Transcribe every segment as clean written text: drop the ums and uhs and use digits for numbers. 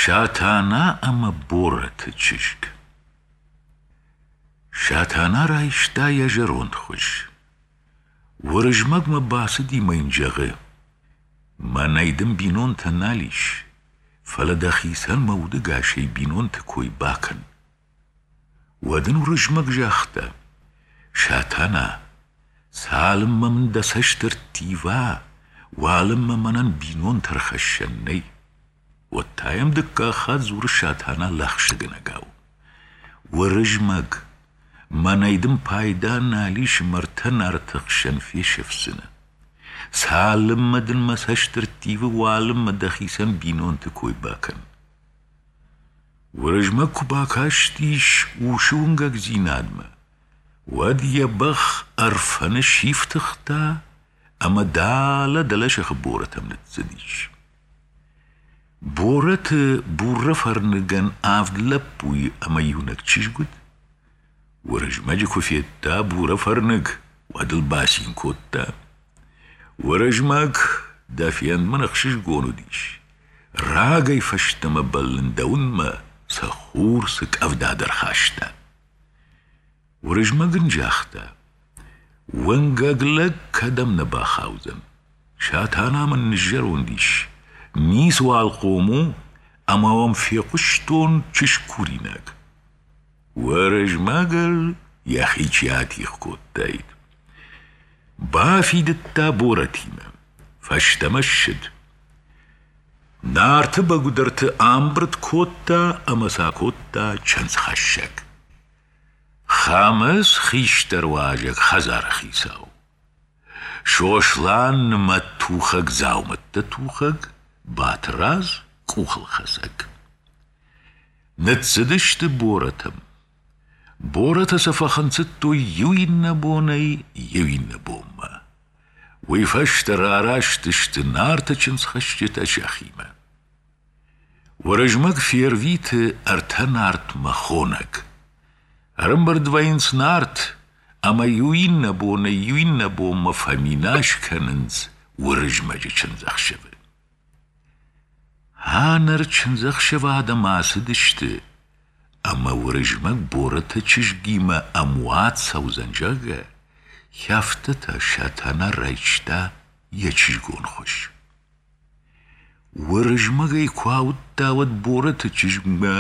Сатана ӕмӕ Борӕты чызг. Сатана райста йӕ зӕронд хуыз. Уырызмӕгмӕ бацыди мӕ йын зӕгъы: «Мӕнӕй дын бинонтӕ нал ис, фӕлӕ дӕхицӕн мӕ удыгасӕй бинонты кой бакӕн». Уӕд ын Уырызмӕг загъта: «Сатана, цалынмӕ мын дӕ цӕст ӕрттива, уалынмӕ мӕнӕн бинонтӕ рхӕссӕн нӕй». Уӕд та йӕм дыккаг хатт дзуры Сатана лӕгъстӕгӕнӕгау: «Уырызмӕг, мӕнӕй дын пайда нал ис мӕрдтӕ Нарты хсӕн фесӕфдзынӕ. Цалынмӕ дын мӕ цӕст ӕрттивы, уалынмӕ дӕхицӕн бинонты кой бакӕн». Уырызмӕг куы бакастис усы уынгӕгдзинадмӕ, уӕд йӕ бӕх Ӕрфӕны сифтыгъта ӕмӕ далӕ дӕлӕсыхы Борӕтӕм ныццыдис. Борӕты Бурӕфӕрныгӕн авд лӕппуйы ӕмӕ иунӕг чызг уыд. Уырызмӕджы куы федта Бурӕфӕрныг, уӕд ыл бацин кодта. Уырызмӕг, дӕ фенд мын ӕхсызгон уыдис. Рагӕй фӕстӕмӕ бӕллын дӕуынмӕ, цы хур, цы къӕвда дӕр хаста. Уырызмӕг ын загъта: Уынгӕг лӕг кӕдӕм нӕ бахаудзӕн. Сатана мын ныззӕронд ис, ницыуал хъом у, ӕмӕ уӕм фехъуыстон чызг-куринаг. Уырызмӕгыл йӕхи чи атигъ кодтаид. Бафидыдта Борӕтимӕ, фӕстӕмӕ ссыд. Нарты бӕгуыдӕрты амбырд кодта ӕмӕ сӕ акодта чындзхӕссӕг. Хӕмыц хистӕр уазӕг хӕдзары хицау. Сослан нымӕттухӕг дзаумӕттӕ тухӕг, Батрадз къухылхӕцӕг. Ныццыдысты Борӕтӕм. Борӕтӕ сӕ фӕхынцыдтой иу иннӕ бонӕй иу иннӕ бонмӕ. Уый фӕстӕ рараст сты Нарты чындзхӕсджытӕ сӕхимӕ. Уырызмӕг фервиты ӕртӕ Нартмӕ хонӕг. Ӕрӕмбырд вӕййынц Нарт ӕмӕ иу иннӕ бонӕй иу иннӕ бонмӕ фӕминас кӕнынц Уырызмӕджы чындзӕхсӕвы. Ӕнӕр чындзӕхсӕвы адӕм ацыдысты, ӕмӕ Уырызмӕг Борӕты чызгимӕ ӕмуат цӕудзӕн, зӕгъгӕ, афтӕ та Сатана райста йӕ чызгон хуыз. Уырызмӕг ӕй куы ауыдта, уӕд Борӕты чызгмӕ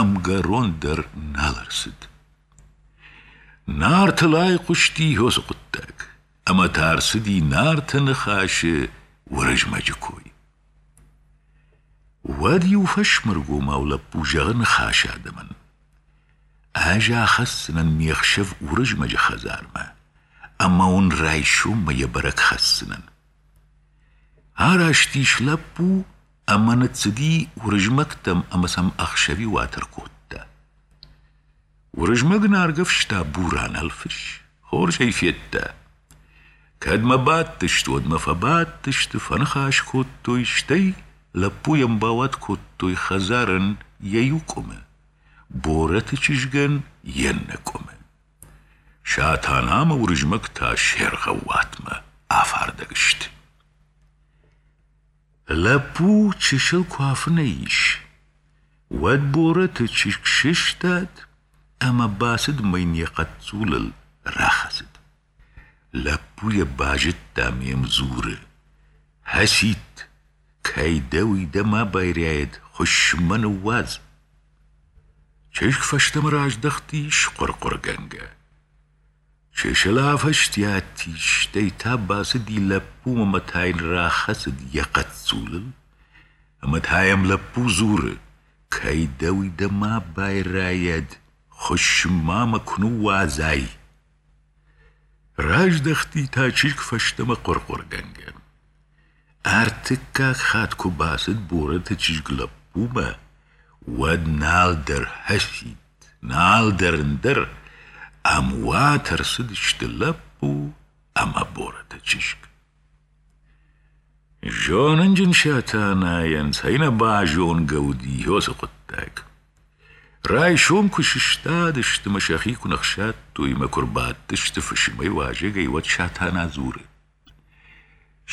ӕмгӕрон дӕр нал ӕрцыд. Нартыл айхъуысти уыцы хъуыддаг, ӕмӕ та ӕрцыди Нарты Ныхасы Уырызмӕджы кой. Уӕд иу фӕсмыргомау лӕппу зӕгъы Ныхасы адӕмӕн: «Ӕз ахӕсдзынӕн ме хсӕв Уырызмӕджы хӕдзармӕ ӕмӕ уын райсоммӕ йӕ бӕрӕг хӕсдзынӕн». Араст ис лӕппу ӕмӕ ныццыди Уырызмӕгтӕм ӕмӕ сӕм ӕхсӕвиуат ӕркодта. Уырызмӕг ын аргӕвста бурӕнӕлфыс, хорз ӕй федта. Кӕдмӕ бадтысты, уӕдмӕ фӕбадтысты, фӕныхас кодтой, стӕй лӕппуйӕн бауат кодтой хӕдзарӕн йӕ иу къуымы, Борӕты чызгӕн йе ннӕ къуымы. Сатана ӕмӕ Уырызмӕг та се ргъӕууатмӕ афардӕг сты. Лӕппу чысыл куы афынӕй ис, уӕд Борӕты чызг сыстад ӕмӕ бацыд мӕ йын йӕ хъӕццулыл рахӕцыд. Лӕппу йӕ базыдта ме мдзуры: «Хӕцит, кӕй дӕ, уый дӕ ма байрайӕд, хуыссынмӕ ныууадз!» Чызг фӕстӕмӕ раздӕхтис хъуыр-хъуыргӕнгӕ. Чысыл афӕстиат ис, стӕй та бацыди лӕппумӕ ӕмӕ та йын рахӕцыд йӕ хъӕццулыл. Ӕмӕ та йӕм лӕппу дзуры: «Кӕй дӕ, уый дӕ ма байрайӕд, хуыссын-ма мӕ куы ныууадзай!» Раздӕхти та чызг фӕстӕмӕ хъуыр-хъуыргӕнгӕ. Ӕртыккаг хатт куы бацыд Борӕты чызг лӕппумӕ, уӕд нал дӕр хӕцид, нал дӕр ӕндӕр, ӕмуат ӕрцыдысты лӕппу ӕмӕ Борӕты чызг. Зонынджын Сатанайӕн цӕй нӕ базонгӕ уыди уыцы хъуыддаг. Райсом куы сыстадысты мӕ сӕхи куы ныхсадтой мӕ куы рбадтысты фысымӕй уазӕгӕй, уӕд Сатана дзуры: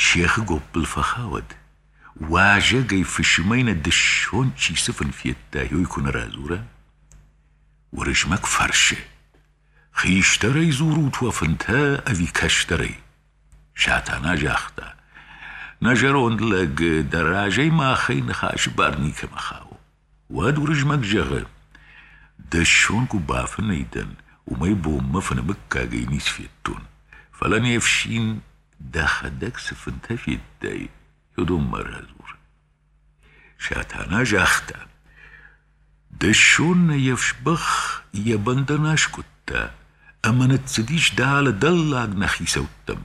Сехы гоппыл фӕхауӕд. Уазӕгӕй фысымӕй нӕ дысон чи цы фын федта, уый куы нӕ радзура. Уырызмӕг фӕрсы: Хистӕрӕй дзурут уӕ фынтӕ ӕви кӕстӕрӕй? Сатана загъта: Нӕ зӕронд лӕг, дӕ разӕй махӕй ныхасы бар никӕмӕ хауы. Уӕд Уырызмӕг зӕгъы: Дысон куы бафынӕй дӕн, уымӕй бонмӕ фыны мыггагӕй ницы федтон. Фӕлӕ не фсин, дӕхӕдӕг цы фынтӕ федтай, уыдонмӕ радзур. Сатана загъта: Дысон нӕ йе фсбӕх йӕ бӕндӕн аскъуыдта ӕмӕ ныццыдис дӕлӕ дӕллаг нӕ хицӕуттӕм,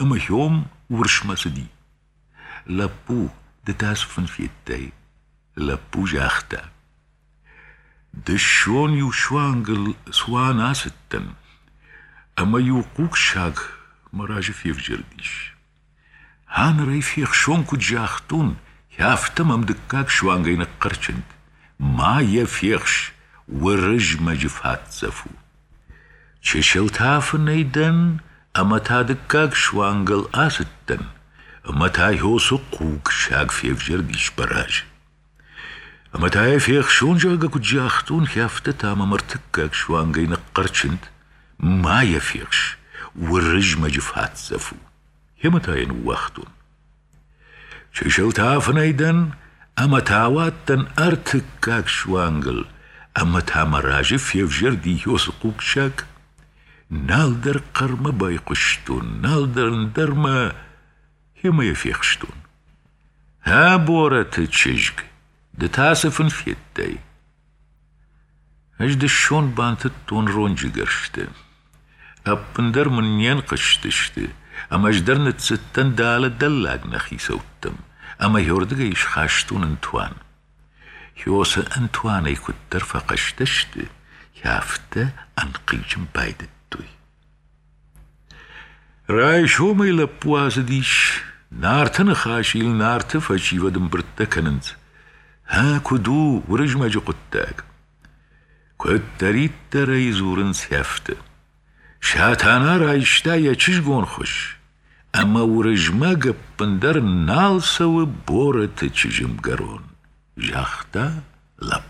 ӕмӕ хьом уырсмӕ цыди. Лӕппу, ды та цы фын федтай? Лӕппу загъта: Дысон иу суангыл цуан ацыдтӕн, ӕмӕ иу хъуг-саг мӕ разы февзӕрдис. Аныр ӕй фехсон куыд загътон, афтӕ мӕм дыккаг суангӕй ныхъхъӕрчынд: Ма йӕ фехс, Уырызмӕджы фатдзӕф у. Чысыл та афынӕй дӕн ӕмӕ та дыккаг суангыл ацыдтӕн, ӕмӕ та Хьосы хъуг саг февзӕрдис мӕ разы. Ӕмӕ та йӕ фехсон, зӕгъгӕ, куыд загътон, афтӕ та мӕм ӕртыккаг суангӕй ныхъхъӕрчынд: Ма йӕ фехс, Уырызмӕджы фатдзӕф у. Ӕмӕ та йӕ ныууагътон. Чысыл та афынӕй дӕн ӕмӕ та ауадтӕн ӕртыккаг суангыл, ӕмӕ та мӕ разы февзӕрди Иосы хъугсаг. Нал дӕр хъӕрмӕ байхъуыстон, нал дӕр ӕндӕрмӕ, ӕмӕ йӕ фехстон. Ӕ, Борӕты чызг, ды та цы фын федтай? Ӕз дысон бантыдтон ронджы гӕрзтӕ. Ӕппындӕр мын не нхъызтысты, ӕмӕ ӕз дӕр ныццыдтӕн дӕлӕ дӕллаг нӕ хицӕуттӕм, ӕмӕ уырдыгӕй схастон ӕнтуан. Хьосы ӕнтуанӕй куыддӕр фӕхъӕстӕ сты, афтӕ ӕнхъизын байдыдтой. Райсомӕй лӕппу ацыдис, Нарты ныхасыл Нарты фӕсивӕд ӕмбырдтӕ кӕнынц. Гъа, куыд у Уырызмӕджы хъуыддаг? Куыддӕриддӕр ӕй дзурынц, афтӕ. Сатана райста йӕ чызгон хуыз, ӕмӕ Уырызмӕг ӕппындӕр нал цӕуы Борӕты чызджы мгӕрон, загъта лӕппу.